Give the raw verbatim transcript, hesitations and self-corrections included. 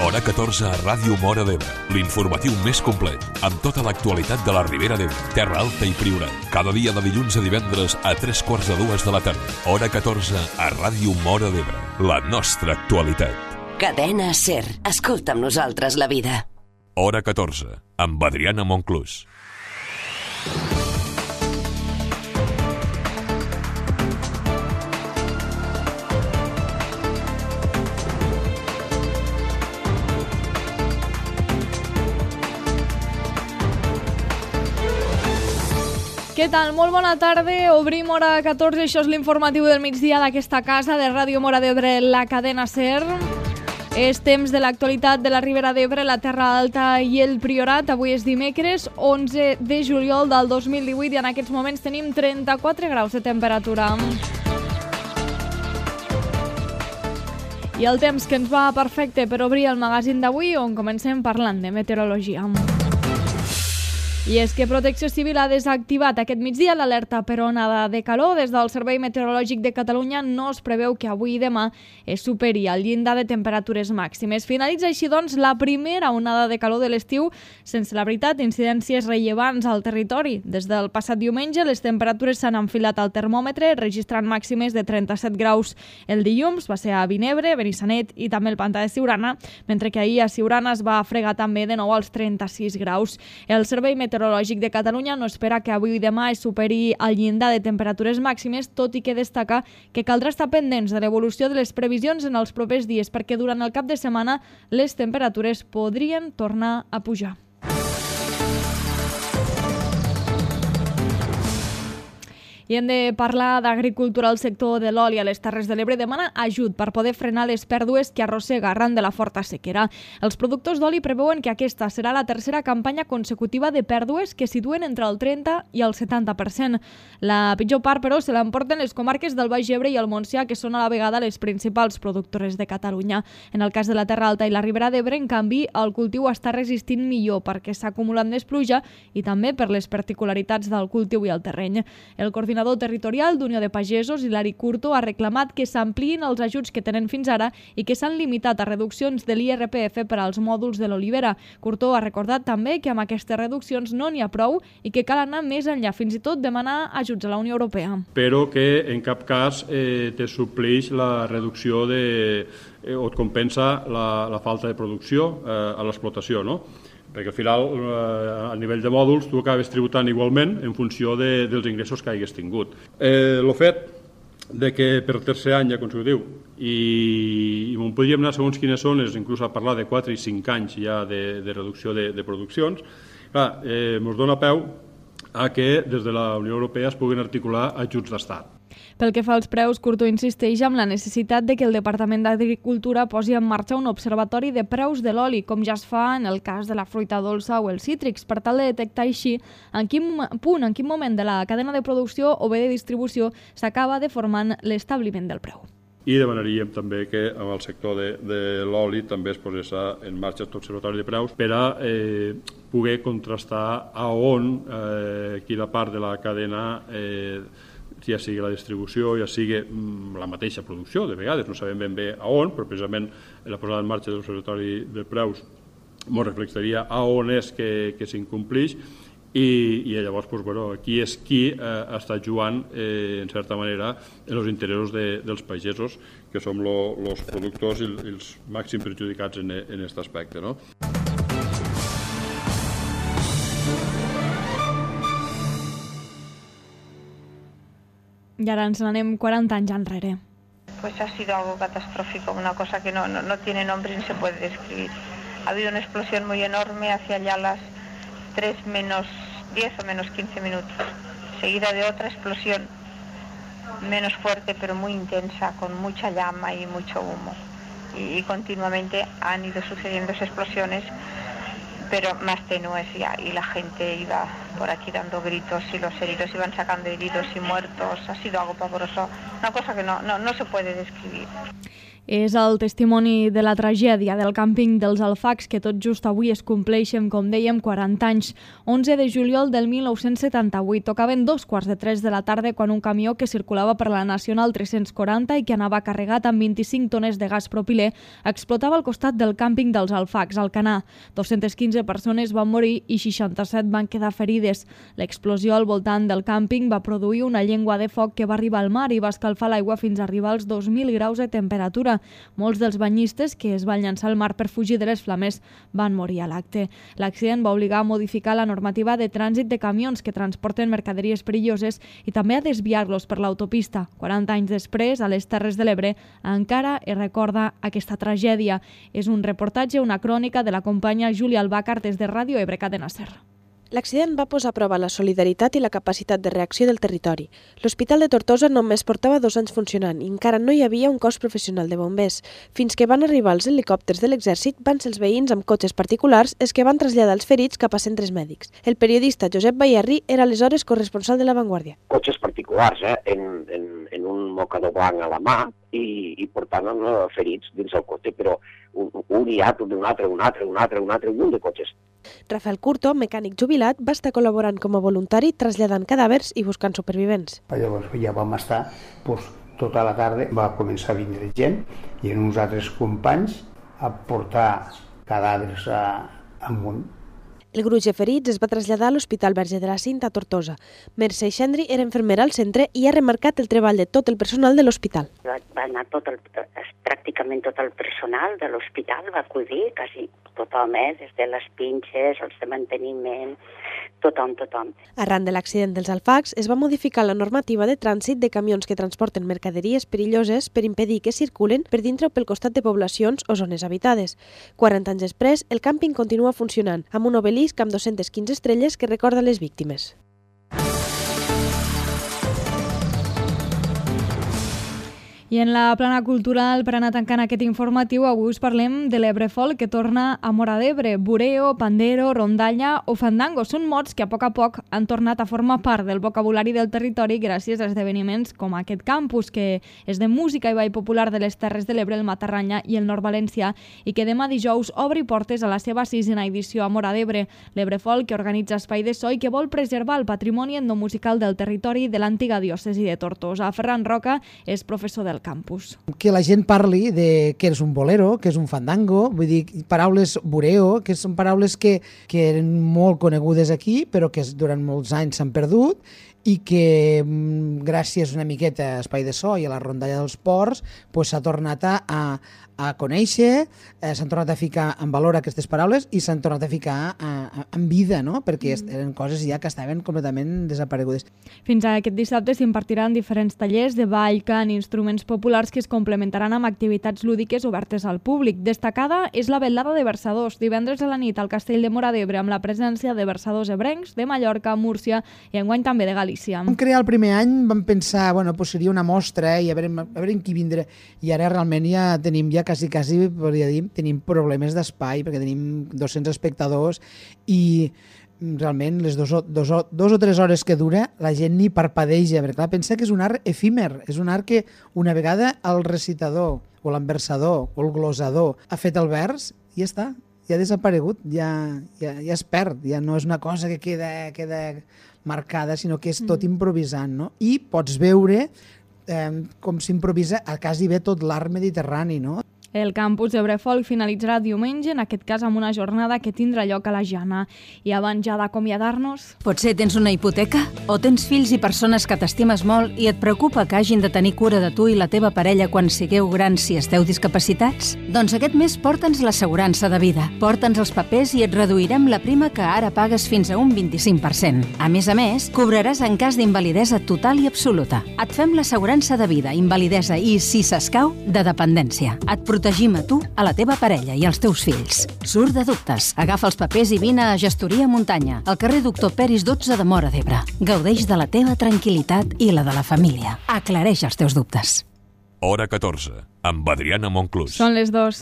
Hora catorze a Ràdio Móra d'Ebre, l'informatiu més complet, amb tota l'actualitat de la Ribera d'Ebre, Terra Alta i Priorat. Cada dia de dilluns a divendres a tres quarts de dues de la tarda. Hora catorze a Ràdio Móra d'Ebre, la nostra actualitat. Cadena SER, escolta amb nosaltres la vida. Hora catorze, amb Adriana Monclús. Què tal? Molt bona tarda. Obrim hora catorze. Això és l'informatiu del migdia d'aquesta casa de Ràdio Móra d'Ebre, la cadena SER. És temps de l'actualitat de la Ribera d'Ebre, la Terra Alta i el Priorat. Avui és dimecres, onze de juliol del dos mil divuit, i en aquests moments tenim trenta-quatre graus de temperatura. I el temps que ens va perfecte per obrir el magazín d'avui, on comencem parlant de meteorologia. I és que Protecció Civil ha desactivat aquest migdia l'alerta per onada de calor. Des del Servei Meteorològic de Catalunya no es preveu que avui i demà es superi el llindar de temperatures màximes. Finalitza així, doncs, la primera onada de calor de l'estiu, sense, la veritat, incidències rellevants al territori. Des del passat diumenge, les temperatures s'han enfilat al termòmetre, registrant màximes de trenta-set graus el dilluns. Va ser a Vinebre, Benissanet i també el Pantà de Siurana, mentre que ahir a Siurana es va fregar també de nou als trenta-sis graus. El Servei Meteorològic de Catalunya no espera que avui i demà es superi el llindar de temperatures màximes, tot i que destaca que caldrà estar pendents de l'evolució de les previsions en els propers dies, perquè durant el cap de setmana les temperatures podrien tornar a pujar. I hem de parlar d'agricultura. El sector de l'oli a les Terres de l'Ebre demana ajut per poder frenar les pèrdues que arrossega arran de la forta sequera. Els productors d'oli preveuen que aquesta serà la tercera campanya consecutiva de pèrdues que situen entre el trenta i el setanta per cent. La pitjor part, però, se l'emporten les comarques del Baix Ebre i el Montsià, que són a la vegada les principals productores de Catalunya. En el cas de la Terra Alta i la Ribera d'Ebre, en canvi, el cultiu està resistint millor perquè s'ha acumulat més pluja i també per les particularitats del cultiu i el terreny. El coordinador territorial d'Unió de Pagesos, Hilari Curto, ha reclamat que s'ampliïn els ajuts que tenen fins ara i que s'han limitat a reduccions de l'I R P F per als mòduls de l'olivera. Curto ha recordat també que amb aquestes reduccions no n'hi ha prou i que cal anar més enllà, fins i tot demanar ajuts a la Unió Europea. Però que en cap cas eh, te supleix la reducció de, eh, o et compensa la, la falta de producció eh, a l'explotació, no? Perquè al final, a nivell de mòduls, tu acabes tributant igualment en funció de, dels ingressos que hagués tingut. Eh, el fet de que per tercer any ja consecutiu, i, i on podríem anar segons quines zones, inclús a parlar de quatre i cinc anys ja de, de reducció de, de produccions, clar, eh, ens dona peu a que des de la Unió Europea es puguin articular ajuts d'estat. Pel que fa als preus, Curto insisteix amb la necessitat de que el Departament d'Agricultura posi en marxa un observatori de preus de l'oli, com ja es fa en el cas de la fruita dolça o els cítrics, per tal de detectar així en quin punt, en quin moment de la cadena de producció o bé de distribució s'acaba deformant l'establiment del preu. I demanaríem també que amb el sector de, de l'oli també es posés en marxa aquest observatori de preus per a eh, poder contrastar a on, eh, quina part de la cadena, eh, ja sigui la distribució, ja sigui la mateixa producció, de vegades no sabem ben bé a on, però precisament la posada en marxa de l'observatori de preus ens reflectaria a on és que, que s'incomplix. I, i llavors, doncs, bueno, qui és qui eh, està jugant, eh, en certa manera, en els interessos de, dels pagesos, que som els productors i els màxims perjudicats en aquest aspecte, no? I ara ens n'anem quaranta anys enrere. Pues ha sido algo catastrófico, una cosa que no, no, no tiene nombre ni se puede describir. Ha habido una explosión muy enorme hacia allá las tres menos diez o menos quince minutos, seguida de otra explosión menos fuerte pero muy intensa, con mucha llama y mucho humo. Y, y continuamente han ido sucediendo esas explosiones, pero más tenues ya, y la gente iba por aquí dando gritos y los heridos iban sacando heridos y muertos. Ha sido algo pavoroso, una cosa que no, no, no se puede describir. És el testimoni de la tragèdia del càmping dels Alfacs que tot just avui es compleixen, com dèiem, quaranta anys. onze de juliol del mil nou-cents setanta-vuit. Tocaven dos quarts de tres de la tarda quan un camió que circulava per la Nacional tres-cents quaranta i que anava carregat amb vint-i-cinc tones de gas propilè explotava al costat del càmping dels Alfacs, al Canà. dos-centes quinze persones van morir i seixanta-set van quedar ferides. L'explosió al voltant del càmping va produir una llengua de foc que va arribar al mar i va escalfar l'aigua fins a arribar als dos mil graus de temperatura. Molts dels banyistes que es van llançar al mar per fugir de les flames van morir a l'acte. L'accident va obligar a modificar la normativa de trànsit de camions que transporten mercaderies perilloses i també a desviar-los per l'autopista. quaranta anys després, a les Terres de l'Ebre, encara es recorda aquesta tragèdia. És un reportatge, una crònica de la companya Júlia Albàcar des de Ràdio Ebre Cadena Ser. L'accident va posar a prova la solidaritat i la capacitat de reacció del territori. L'Hospital de Tortosa només portava dos anys funcionant i encara no hi havia un cos professional de bombers. Fins que van arribar els helicòpters de l'exèrcit, van ser els veïns amb cotxes particulars els que van traslladar els ferits cap a centres mèdics. El periodista Josep Bayerri era aleshores corresponsal de La Vanguardia. Cotxes particulars, eh? en, en, en un mocador blanc a la mà i, i portant uh, ferits dins el cotxe, però un, un i altre, un altre, un altre, un altre, un altre, un munt de cotxes. Rafael Curto, mecànic jubilat, va estar col·laborant com a voluntari traslladant cadàvers i buscant supervivents. Llavors ja vam estar doncs, tota la tarda, va començar a vindre gent i en uns altres companys a portar cadàvers a, amunt. El gruix de ferits es va traslladar a l'Hospital Verge de la Cinta a Tortosa. Mercè Xendri era infermera al centre i ha remarcat el treball de tot el personal de l'hospital. Va, va anar tot el, pràcticament tot el personal de l'hospital, va acudir quasi tothom, eh? Des de les pinxes, els de manteniment, tothom, tothom. Arran de l'accident dels Alfacs, es va modificar la normativa de trànsit de camions que transporten mercaderies perilloses per impedir que circulen per dintre o pel costat de poblacions o zones habitades. quaranta anys després, el càmping continua funcionant, amb un obelisc amb dos-centes quinze estrelles que recorda les víctimes. I en la plana cultural, per anar tancant aquest informatiu, avui us parlem de l'Ebre Folk, que torna a Móra d'Ebre. Bureo, pandero, rondalla o fandango són mots que a poc a poc han tornat a formar part del vocabulari del territori gràcies a esdeveniments com aquest campus, que és de música i ball popular de les Terres de l'Ebre, el Matarranya i el Nord Valencià, i que demà dijous obri portes a la seva sisena edició a Móra d'Ebre. L'Ebre Folk, que organitza espai de so i que vol preservar el patrimoni etnomusical del territori de l'antiga diòcesi de Tortosa. Ferran Roca és professor del campus. Que la gent parli de què és un bolero, què és un fandango, vull dir, paraules bureo, que són paraules que, que eren molt conegudes aquí, però que durant molts anys s'han perdut i que gràcies una miqueta a Espai de So i a la rondalla dels ports pues, s'ha tornat a, a, a conèixer, eh, s'han tornat a ficar en valor aquestes paraules i s'han tornat a ficar a, a, en vida, no? Perquè mm. eren coses ja que estaven completament desaparegudes. Fins a aquest dissabte s'impartiran diferents tallers de ball, cant i instruments populars que es complementaran amb activitats lúdiques obertes al públic. Destacada és la vetllada de versadors, divendres a la nit al Castell de Móra d'Ebre, amb la presència de versadors ebrencs, de Mallorca, Múrcia i enguany també de Galícia. Vam crear el primer any, vam pensar, bueno, pues seria una mostra i a veure, a veure qui vindrà, i ara realment ja tenim, ja quasi, quasi, podria dir, tenim problemes d'espai, perquè tenim dos-cents espectadors i realment les dos, dos, dos o tres hores que dura la gent ni parpadeja, perquè clar, pensa que és un art efímer, és un art que una vegada el recitador o l'enversador o el glosador ha fet el vers i ja està, ja ha desaparegut, ja, ja, ja es perd, ja no és una cosa que queda, queda marcada, sinó que és tot improvisant, no? I pots veure eh, com s'improvisa a quasi bé tot l'art mediterrani, no? El campus d'Ebre Folk finalitzarà diumenge, en aquest cas amb una jornada que tindrà lloc a la Jana. I abans ja d'acomiadar-nos... Potser tens una hipoteca? O tens fills i persones que t'estimes molt i et preocupa que hagin de tenir cura de tu i la teva parella quan sigueu grans si esteu discapacitats? Doncs aquest mes porta'ns l'assegurança de vida. Porta'ns els papers i et reduirem la prima que ara pagues fins a un vint-i-cinc per cent. A més a més, cobraràs en cas d'invalidesa total i absoluta. Et fem l'assegurança de vida, invalidesa i, si s'escau, de dependència. Et protegim a tu, a la teva parella i als teus fills. Surt de dubtes. Agafa els papers i vine a Gestoria Muntanya, al carrer Doctor Peris dotze de Móra d'Ebre. Gaudeix de la teva tranquil·litat i la de la família. Aclareix els teus dubtes. Hora catorze, amb Adriana Monclús. Són les dues.